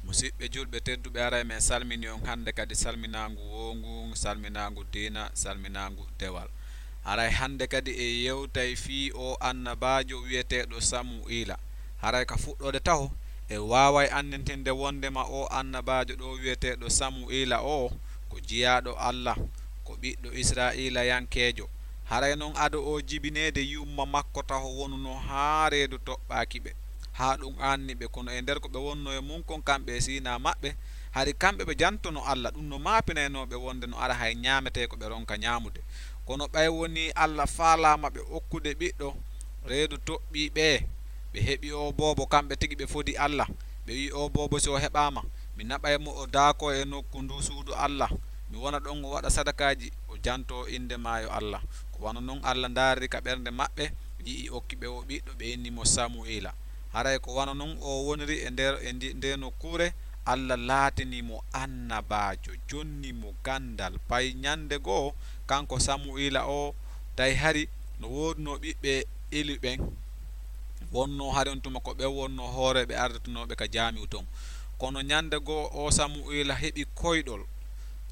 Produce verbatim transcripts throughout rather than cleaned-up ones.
Musiɓɓe julɓe tedduɓe, aray men salmini on hannde kadi salminaangu woongu, salminaangu diina, salminaangu dewal. Aray hannde kadi e yewtay fii o annabaajo wi'eteeɗo Samu'iila. Haray ka fuɗɗoode taho, e waaway anndintinde wonndema o annabaajo ɗo wi'eteeɗo Samu'iila o ko jiyaaɗo Alla, ko ɓiɗɗo Israa'iilayankeejo. Haray non ado o jibineede yumma makko taho wonuno haa reedu toɓɓaaki ɓe, haa ɗum aanni ɓe, kono e nder ko ɓe wonno e mum kon kamɓe e siinaa maɓɓe, hari kamɓe ɓe jantono Alla, ɗum no maapinaynoo ɓe wonde no ara hay ñaametee ko ɓe ronka ñaamude. Kono ɓay wonii Alla faalaama ɓe okkude ɓiɗɗo, reedu toɓɓii ɓe, ɓe heɓi oo boobo, kamɓe tigi ɓe fodi Alla, ɓe wi'i, "Oo boobo, si o heɓaama, mi naɓay mo o daakoo e nokku ndu suudu Alla, mi wona ɗon o waɗa sadakaaji, o jantoo innde maa yo Alla." Ko wano non Alla ndaariri ka ɓernde maɓɓe, yi'i okki ɓe oo ɓiɗɗo, ɓe inni mo Samu'iila. Haray ko wano non o woniri e nder, e ndi, ndee nokkuure, Alla laatini mo annabaajo, jonni mo ganndal. Pay ñannde goo, kanko Samu'iila o, tawi hari no woodunoo ɓiɓɓe Eli ɓen, wonnoo hari on tuma ko ɓen wonnoo hooreeɓe arditinooɓe ka jaamiu ton. Kono ñannde goo, o Samu'iila heɓi koyɗol.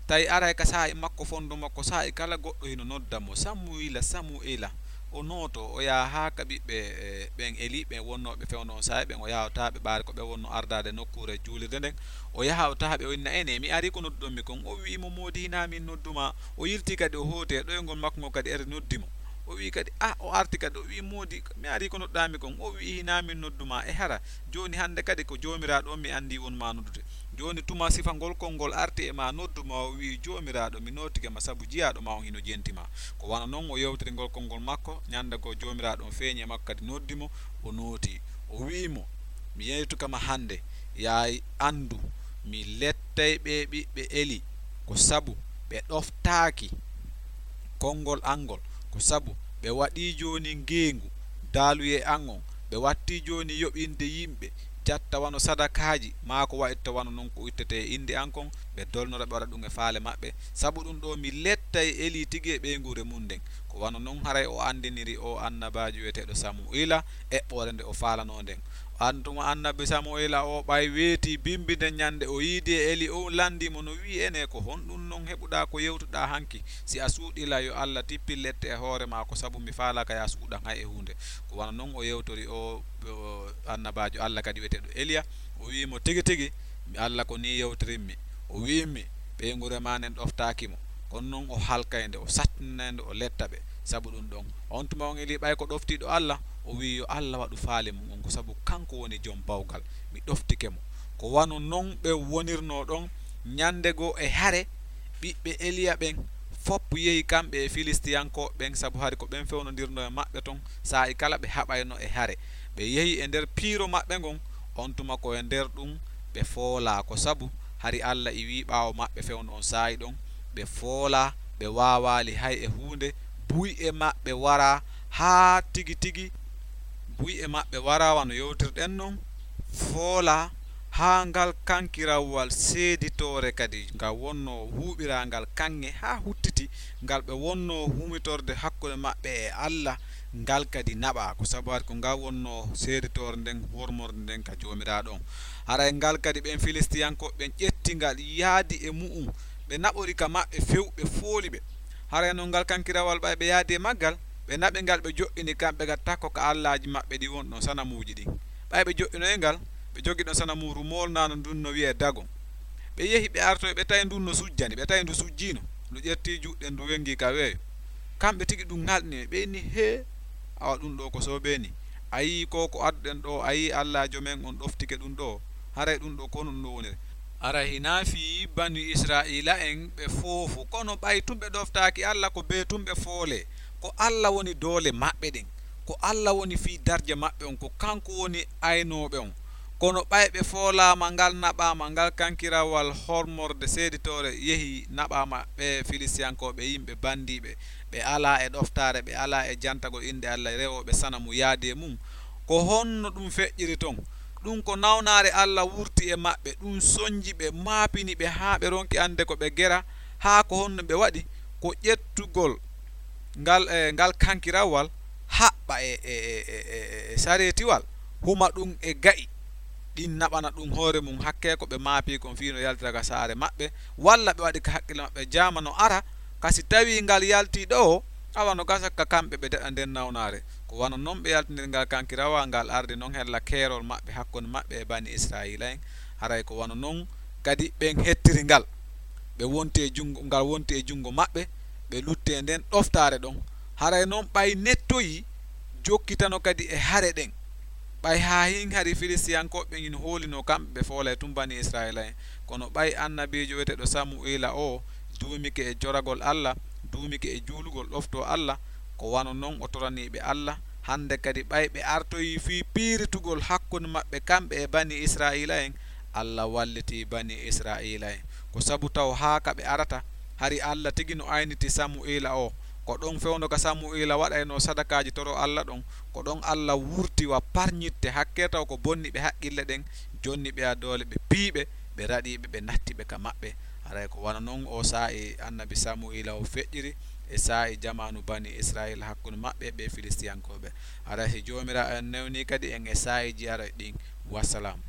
Tawi aray ka saa'i makko, fondo makko, saa'i kala goɗɗo hino nodda mo, "Samu'iila, Samu'iila." O nooto, o yaha haa ka ɓiɓɓe, eh, ɓen Eli, ɓen wonnooɓe fewndo on saa'i ɓen, o yaha o tawa ɓe ɓaari ko ɓe wonno ardaade nokkuure juulirde nden. O yaha o tawa ɓe, o inna, "Ene, mi arii ko nodduɗon mi kon." O wi'i mo, "Moodi, hinaa min noddu maa." O yilti kadi, o hooti e ɗoyngol makko ngol kadi, eri noddi mo. O wi'i kadi, "Ah," o arti kadi, o wi'i, "Moodi, mi arii ko nodduɗaa mi kon." O wi'i, "Hinaa min noddu maa. E hara, jooni hannde kadi ko Joomiraaɗo on mi anndi won maa noddude." Jooni tuma sifa ngol konngol arti e maa noddu ma, o wi'i, "Joomiraaɗo, mi nootike ma sabu jiyaaɗo ma on hino jenti ma." Ko wano non o yewtiri ngol konngol makko. Ñannde goo Joomiraaɗo on feeñi e makko kadi noddi mo, o nooti. O wi'i mo, "Mi yewtuka ma hannde, yaa anndu, mi lettay ɓee ɓiɓɓe Eli, ko sabu ɓe ɗoftaaki konngol an ngol, ko sabu ɓe waɗii jooni ngeengu daaluyee an on, ɓe wattii jooni yoɓinde yimɓe, jatta wano sadakaaji, maa ko wa'itta wano non ko ittete e innde an kon, ɓe dolnora, ɓe waɗa ɗum e faale maɓɓe. Sabu ɗum ɗoo, mi lettay Eli tigi e ɓeynguure mum nden." Ko wano non haray o anndiniri o annabaajo wi'eteeɗo Samu'iila eɓɓoore nde o faalanoo nden. An tuma annabi Samu'iila o ɓay weetii bimbi nden ñannde, o yiidi e Eli, o lanndii mo no wi'i, "Ene, ko honɗum non heɓuɗaa ko yewtuɗaa hanki? Si a suuɗii la, yo Alla tippin lette e hoore maa, ko sabu mi faalaaka yo a suuɗan hay e huunde." Ko wano non o yewtori o, o annabaajo Alla kadi wi'eteeɗo Eliya, o wi'i mo, "Tigi tigi, mi Alla ko nii yewtirimmi. O wi'immi, ɓeynguure maa nden ɗoftaaki mo. Kono non o halkay nde, o sattinay nde, o letta ɓe. Sabu ɗum ɗon, on tuma on Eli ɓay ko ɗoftiiɗo Alla, o wi'i yo Alla waɗu faale mum on, ko sabu kanko woni jom bawgal. Mi ɗoftike mo." Ko wano non ɓe wonirnoo ɗon. Ñannde goo e hare, ɓiɓɓe Eliya ɓen fof yehi kamɓe e Filistiyankooɓe ɓen, sabu hari ko ɓen fewnondirnoo e maɓɓe ton, saa'i kala ɓe haɓayno e hare. Ɓe yehi e nder piiro maɓɓe ngon, on tuma ko e nder ɗum ɓe foolaa, ko sabu hari Alla iwii ɓaawo maɓɓe fewndo on saa'i ɗon, ɓe foolaa, ɓe waawaali hay e huunde, buyɗe maɓɓe waraa haa tigi tigi, buyɗe maɓɓe waraa wano yewtirɗen non, foolaa haa ngal kankirawal seeditoore kadi, ngal wonnoo huuɓiraangal kaŋŋe haa huttiti, ngal ɓe wonnoo humitorde hakkunde maɓɓe e Alla, ngal kadi naɓaa, ko sabu hari ko ngal wonnoo seeditoore nden, hormorde nden ka Joomiraaɗo on. Haray ngal kadi ɓen Filistiyankooɓe ɓen ƴetti ngal, yaadi e mu'un, ɓe naɓori ka maɓɓe few, ɓe fooli ɓe. Haray non ngal kankirawal ɓay ɓe yaadi e maggal, ɓe naɓi ngal, ɓe jo'ini kamɓe ga takko ka allaaji maɓɓe ɗi won ɗon, sanamuuji ɗin. Ɓay ɓe jo'inoyi ngal, ɓe jogi ɗon sanamuuru moolnaandu ndun no wi'ee Dagon. Ɓe yehi, ɓe artoyi, ɓe tawi ndun no sujjani, ɓe tawi ndu sujjiino, ndu ƴetti juuɗe, ndu wengi ka weeyo. Kamɓe tigi ɗum ŋalɗini ɓe, ɓe inni, "Hee, awa ɗum ɗoo ko soobee ni? A yii ko, ko adduɗen ɗoo, a yii Allaajo men on ɗoftike ɗum ɗoo? Haray ɗum ɗoo ko honɗum ɗum woniri?" Aray hinaa fii bani Israa'iila'en ɓe foofu, kono ɓay tun ɓe ɗoftaaki Alla, ko bee tun ɓe foolee. Ko Alla woni doole maɓɓe ɗen, ko Alla woni fii darja maɓɓe on, ko kanko woni aynooɓe on. Kono ɓay ɓe foolaama ngal, naɓaama ngal kankirawal hormorde seeditoore, yehi naɓaama ɓee Filistiyankooɓe yimɓe banndiiɓe, ɓe alaa e ɗoftaare, ɓe alaa e jantagol innde Alla, rewooɓe sanamu yaadi e mum. Ko honno ɗum feƴƴiri ton? Ɗum ko nawnaare Alla wurti e maɓɓe, ɗum sonji ɓe, maapini ɓe haa ɓe ronki annde ko ɓe gera, haa ko honno ɓe waɗi, ko ƴettugol ngal, e, ngal kankirawal, haɓɓa e, e, e, e, e, e sareetiwal, huma ɗum e ga'i. ɗin naɓana ɗum hoore mum hakkee ko ɓe maapii kon fii no yaltira ka saare maɓɓe, walla ɓe waɗi ka haqqille maɓɓe jaama no ara, ka si tawii ngal yaltii ɗoo, awa no gasa ka kamɓe ɓe daɗa nden nawnaare. Ko wano non ɓe yaltiniri ngal kankirawa, ngal ardi non hella keerol maɓɓe hakkunde maɓɓe e bani Israa'iila'en. Haray ko wano non kadi ɓen hettiri ngal. Ɓe wonti e junngo, ngal wonti e junngo maɓɓe, ɓe lutti e nden ɗoftaare ɗon. Haray non ɓay nettoyii, jokkitano kadi e hare ɗen. Ɓay haa hin hari Filistiyankooɓe ɓen hino hoolinoo kamɓe ɓe foolay tun bani Israa'iila'en. Kono ɓay annabiijo wi'eteeɗo Samu'iila oo duumike e joragol Alla, duumike e juulugol ɗoftoo Alla, ko wano non o toranii ɓe Alla. Hannde kadi ɓay ɓe artoyii fii piiritugol hakkunde maɓɓe kamɓe e bani Israa'iila'en, Alla wallitii bani Israa'iila'en. Ko sabu taw haa ka ɓe arata, hari Alla tigi no ayniti Samu'iila oo. Ko ɗon fewndo ka Samu'iila waɗaynoo sadakaaji toro Alla ɗon, ko ɗon Alla wurti wa parñitte hakkee taw ko bonni ɓe haqqille ɗen, jonni ɓe a doole ɓe piiɓe, ɓe raɗiiɓe, ɓe natti ɓe ka maɓɓe. Haray ko wano non oo saa'i annabi Samu'iila o feƴƴiri e saa'i jamaanu bani Israa'iila hakkunde maɓɓe e ɓee Filistiyankooɓe. Haray si Joomiraaɗo en newnii kadi en e saa'iiji aray ɗin. Wassalam.